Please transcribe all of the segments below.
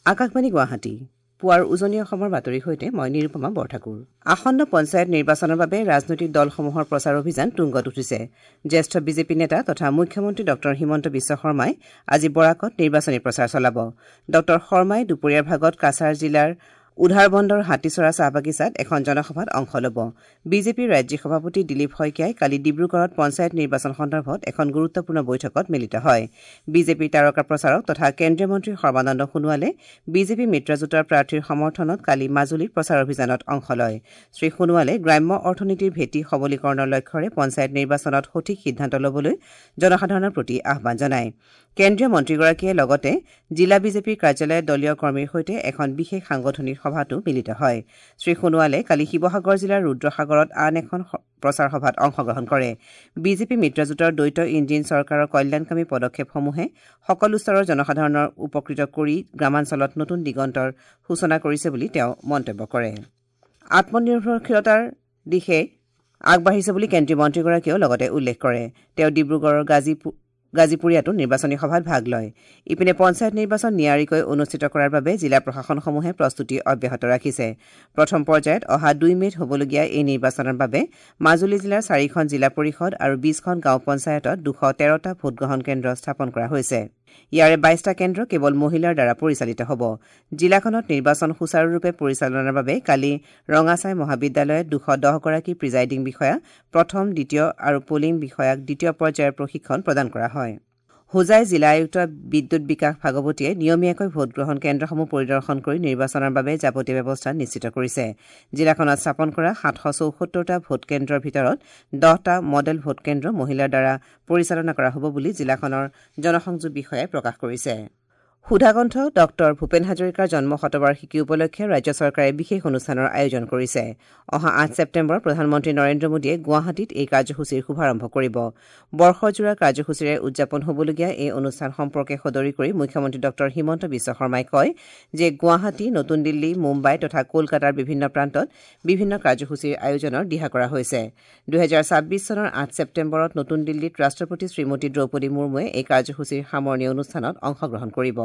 আকাশবাণী গুৱাহাটী পুৱাৰ উজনি অসমৰ বাতৰিৰ সৈতে মই নিৰুপমা বৰঠাকুৰ। আসন্ন পঞ্চায়ত নিৰ্বাচনৰ বাবে ৰাজনৈতিক দলসমূহৰ প্ৰচাৰ অভিযান তুংগত উঠিছে। জ্যেষ্ঠ বিজেপি নেতা তথা মুখ্যমন্ত্ৰী ডঃ হিমন্ত বিশ্ব শৰ্মাই আজি বৰাকত নিৰ্বাচনী প্ৰচাৰ চলাব। ডঃ শৰ্মাই দুপৰীয়াৰ ভাগত কাছাৰ জিলাৰ উধাৰবন্দৰ হাতীচৰা চাহ বাগিচাত এখন জনসভাত অংশ ল'ব। বিজেপিৰ ৰাজ্যিক সভাপতি দিলীপ শইকীয়াই কালি ডিব্ৰুগড়ত পঞ্চায়ত নিৰ্বাচন সন্দৰ্ভত এখন গুৰুত্বপূৰ্ণ বৈঠকত মিলিত হয়। বিজেপিৰ তাৰকা প্ৰচাৰক তথা কেন্দ্ৰীয় মন্ত্ৰী সৰ্বানন্দ সোণোৱালে বিজেপি মিত্ৰজোঁটৰ প্ৰাৰ্থীৰ সমৰ্থনত কালি মাজুলীত প্ৰচাৰ অভিযানত অংশ লয়। শ্ৰীসোণোৱালে গ্ৰাম্য অৰ্থনীতিৰ ভেটি সবলীকৰণৰ লক্ষ্যৰে পঞ্চায়ত নিৰ্বাচনত সঠিক সিদ্ধান্ত ল'বলৈ জনসাধাৰণৰ প্ৰতি আহ্বান জনায়। কেন্দ্ৰীয় মন্ত্ৰীগৰাকীয়ে লগতে জিলা বিজেপিৰ কাৰ্যালয়ত দলীয় কৰ্মীৰ সৈতে এখন বিশেষ সাংগঠনিক সভাতো মিলিত হয়। শ্ৰীসোণোৱালে কালি শিৱসাগৰ জিলাৰ ৰুদ্ৰসাগৰত আন এখন প্ৰচাৰ সভাত অংশগ্ৰহণ কৰে। বিজেপি মিত্ৰজোঁটৰ দ্বৈত ইঞ্জিন চৰকাৰৰ কল্যাণকামী পদক্ষেপসমূহে সকলো স্তৰৰ জনসাধাৰণৰ উপকৃত কৰি গ্ৰামাঞ্চলত নতুন দিগন্তৰ সূচনা কৰিছে বুলি তেওঁ মন্তব্য কৰে। আত্মনিৰ্ভৰশীলতাৰ দিশে আগবাঢ়িছে বুলি কেন্দ্ৰীয় মন্ত্ৰীগৰাকীয়েও লগতে উল্লেখ কৰে। তেওঁ ডিব্ৰুগড়ৰ গাজীপুৰীয়াতো নিৰ্বাচনী সভাত ভাগ লয়। ইপিনে পঞ্চায়ত নিৰ্বাচন নিয়াৰিকৈ অনুষ্ঠিত কৰাৰ বাবে জিলা প্ৰশাসনসমূহে প্ৰস্তুতি অব্যাহত ৰাখিছে। প্ৰথম পৰ্যায়ত অহা 2 মে'ত হ'বলগীয়া এই নিৰ্বাচনৰ বাবে মাজুলী জিলাৰ 4খন জিলা পৰিষদ আৰু 20খন গাঁও পঞ্চায়তত 213টা ভোটগ্ৰহণ কেন্দ্ৰ স্থাপন কৰা হৈছে। ইয়াৰে 22টা কেন্দ্ৰ কেৱল মহিলাৰ দ্বাৰা পৰিচালিত হ'ব। জিলাখনত নিৰ্বাচন সুচাৰুৰূপে পৰিচালনাৰ বাবে কালি ৰঙাচাই মহাবিদ্যালয়ত 210গৰাকী প্ৰিজাইডিং বিষয়া, প্ৰথম, দ্বিতীয় আৰু পলিং বিষয়াক দ্বিতীয় পৰ্যায়ৰ প্ৰশিক্ষণ প্ৰদান কৰা হয়। হোজাই জিলা আয়ুক্ত বিদ্যুৎ বিকাশ ভাগৱতীয়ে নিয়মীয়াকৈ ভোটগ্ৰহণ কেন্দ্ৰসমূহ পৰিদৰ্শন কৰি নিৰ্বাচনৰ বাবে যাৱতীয় ব্যৱস্থা নিশ্চিত কৰিছে। জিলাখনত স্থাপন কৰা 774টা ভোটকেন্দ্ৰৰ ভিতৰত 10টা মডেল ভোটকেন্দ্ৰ মহিলাৰ দ্বাৰা পৰিচালনা কৰা হ'ব বুলি জিলাখনৰ জনসংযোগ বিষয়াই প্ৰকাশ কৰিছে। সুধাকণ্ঠ ডঃ ভূপেন হাজৰিকাৰ জন্ম শতবাৰ্ষিকী উপলক্ষে ৰাজ্য চৰকাৰে বিশেষ অনুষ্ঠানৰ আয়োজন কৰিছে। অহা 8 ছেপ্টেম্বৰ প্ৰধানমন্ত্ৰী নৰেন্দ্ৰ মোদীয়ে গুৱাহাটীত এই কাৰ্যসূচীৰ শুভাৰম্ভ কৰিব। বৰ্ষজোৰা কাৰ্যসূচীৰে উদযাপন হ'বলগীয়া এই অনুষ্ঠান সম্পৰ্কে সদৰি কৰি মুখ্যমন্ত্ৰী ডঃ হিমন্ত বিশ্ব শৰ্মাই কয় যে গুৱাহাটী, নতুন দিল্লী, মুম্বাই তথা কলকাতাৰ বিভিন্ন প্ৰান্তত বিভিন্ন কাৰ্যসূচীৰ আয়োজনৰ দিহা কৰা হৈছে। 2026 চনৰ 8 ছেপ্টেম্বৰত নতুন দিল্লীত ৰাষ্ট্ৰপতি শ্ৰীমতী দ্ৰৌপদী মুৰ্মুৱে এই কাৰ্যসূচীৰ সামৰণি অনুষ্ঠানত অংশগ্ৰহণ কৰিব।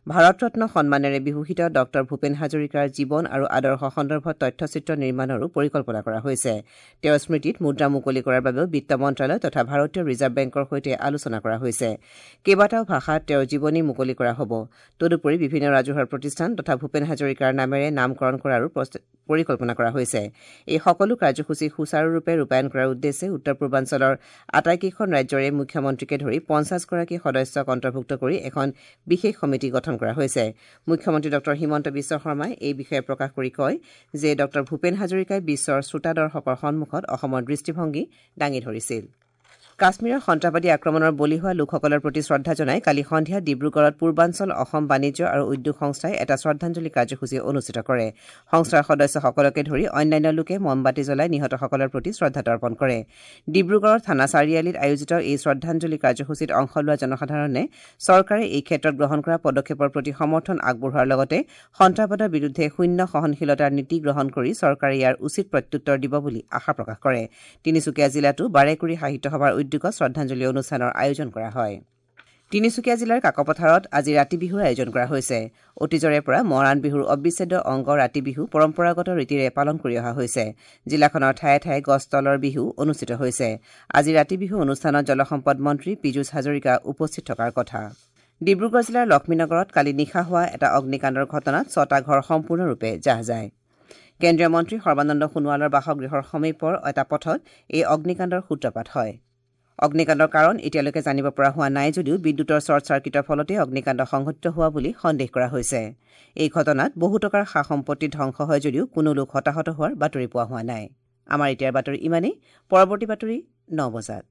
ভাৰতৰত্ন সন্মানেৰে বিভূষিত ডঃ ভূপেন হাজৰিকাৰ জীৱন আৰু আদৰ্শ সন্দৰ্ভত তথ্যচিত্ৰ নিৰ্মাণৰো পৰিকল্পনা কৰা হৈছে। তেওঁৰ স্মৃতিত মুদ্ৰা মুকলি কৰাৰ বাবেও বিত্ত মন্ত্ৰালয় তথা ভাৰতীয় ৰিজাৰ্ভ বেংকৰ সৈতে আলোচনা কৰা হৈছে। কেইবাটাও ভাষাত তেওঁৰ জীৱনী মুকলি কৰা হ'ব। তদুপৰি বিভিন্ন ৰাজহুৱা প্ৰতিষ্ঠান তথা ভূপেন হাজৰিকাৰ নামেৰে নামকৰণ কৰাৰো পৰিকল্পনা কৰা হৈছে। এই সকলো কাৰ্যসূচী সুচাৰুৰূপে ৰূপায়ণ কৰাৰ উদ্দেশ্যে উত্তৰ পূৰ্বাঞ্চলৰ আটাইকেইখন ৰাজ্যৰে মুখ্যমন্ত্ৰীকে ধৰি 50গৰাকী সদস্যক অন্তৰ্ভুক্ত কৰি এখন বিশেষ সমিতি গঠন কৰা হৈছে। মুখ্যমন্ত্ৰী ডঃ হিমন্ত বিশ্ব শৰ্মাই এই বিষয়ে প্ৰকাশ কৰি কয় যে ডঃ ভূপেন হাজৰিকাই বিশ্বৰ শ্ৰোতা দৰ্শকৰ সন্মুখত অসমৰ দৃষ্টিভংগী দাঙি ধৰিছিল। কাশ্মীৰৰ সন্ত্ৰাসবাদী আক্ৰমণৰ বলি হোৱা লোকসকলৰ প্ৰতি শ্ৰদ্ধা জনাই কালি সন্ধিয়া ডিব্ৰুগড়ত পূৰ্বাঞ্চল অসম বাণিজ্য আৰু উদ্যোগ সংস্থাই এটা শ্ৰদ্ধাঞ্জলি কাৰ্যসূচী অনুষ্ঠিত কৰে। সংস্থাৰ সদস্যসকলকে ধৰি অন্যান্য লোকে মমবাতি জ্বলাই নিহতসকলৰ প্ৰতি শ্ৰদ্ধা তৰ্পণ কৰে। ডিব্ৰুগড়ৰ থানা চাৰিআলিত আয়োজিত এই শ্ৰদ্ধাঞ্জলি কাৰ্যসূচীত অংশ লোৱা জনসাধাৰণে চৰকাৰে এই ক্ষেত্ৰত গ্ৰহণ কৰা পদক্ষেপৰ প্ৰতি সমৰ্থন আগবঢ়োৱাৰ লগতে সন্ত্ৰাসবাদৰ বিৰুদ্ধে শূন্য সহনশীলতাৰ নীতি গ্ৰহণ কৰি চৰকাৰে ইয়াৰ উচিত প্ৰত্যুত্তৰ দিব বুলি আশা প্ৰকাশ কৰে। তিনিচুকীয়া জিলাতো বাৰেকুৰি সাহিত্য সভাৰ উদ্যোগত শ্ৰদ্ধাঞ্জলি অনুষ্ঠানৰ আয়োজন কৰা হয়। তিনিচুকীয়া জিলাৰ কাকপথাৰত আজি ৰাতি বিহুৰ আয়োজন কৰা হৈছে। অতীজৰে পৰা মৰাণ বিহুৰ অবিচ্ছেদ্য অংগ ৰাতি বিহু পৰম্পৰাগত ৰীতিৰে পালন কৰি অহা হৈছে। জিলাখনৰ ঠায়ে ঠায়ে গছ তলৰ বিহু অনুষ্ঠিত হৈছে। আজি ৰাতি বিহু অনুষ্ঠানত জলসম্পদ মন্ত্ৰী পীযুষ হাজৰিকা উপস্থিত থকাৰ কথা। ডিব্ৰুগড় জিলাৰ লক্ষ্মীনগৰত কালি নিশা হোৱা এটা অগ্নিকাণ্ডৰ ঘটনাত 6টা ঘৰ সম্পূৰ্ণৰূপে জাহ যায়। কেন্দ্ৰীয় মন্ত্ৰী সৰ্বানন্দ সোণোৱালৰ বাসগৃহৰ সমীপৰ এটা পথত এই অগ্নিকাণ্ডৰ সূত্ৰপাত হয়। অগ্নিকাণ্ডৰ কাৰণ এতিয়ালৈকে জানিব পৰা হোৱা নাই যদিও বিদ্যুতৰ শ্বৰ্ট চাৰ্কিটৰ ফলতে অগ্নিকাণ্ড সংঘটিত হোৱা বুলি সন্দেহ কৰা হৈছে। এই ঘটনাত বহু টকাৰ সা সম্পত্তি ধ্বংস হয় যদিও কোনো লোক হতাহত হোৱাৰ বাতৰি পোৱা হোৱা নাই। আমাৰ এতিয়াৰ বাতৰি ইমানেই। পৰৱৰ্তী বাতৰি 9 বজাত।